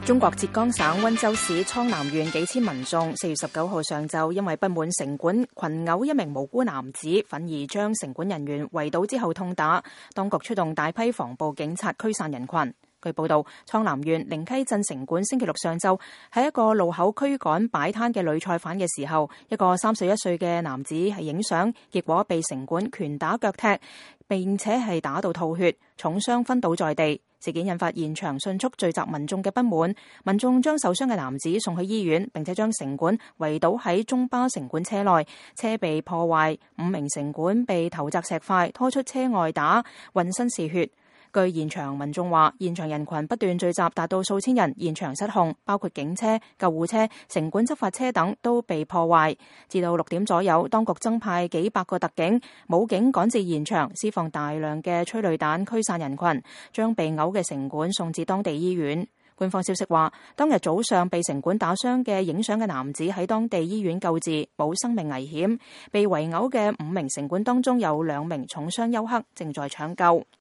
中國浙江省溫州市蒼南縣幾千民眾4月19號上晝因為不滿城管群毆一名無辜男子，憤而將城管人員圍堵之後痛打，當局出動大批防暴警察驅散人群。據報道，蒼南縣靈溪鎮城管星期六上晝喺一個路口驅趕擺攤嘅女菜販嘅時候，一個31歲嘅男子係影相，結果被城管拳打腳踢，並且係打到吐血，重傷昏倒在地。事件引發現場迅速聚集民眾嘅不滿，民眾將受傷嘅男子送去醫院，並且將城管圍堵喺中巴城管車內，車被破壞，5名城管被投擲石塊，拖出車外打，渾身是血。據現場民眾話，現場人群不斷聚集，達到數千人，現場失控，包括警車、救護車、城管執法車等都被破壞。至到6點左右，當局增派幾百個特警、武警趕至現場，施放大量嘅催淚彈驅散人群，將被毆嘅城管送至當地醫院。官方消息話，當日早上被城管打傷嘅影相嘅男子喺當地醫院救治，冇生命危險。被圍毆嘅5名城管當中有2名重傷休克，正在搶救。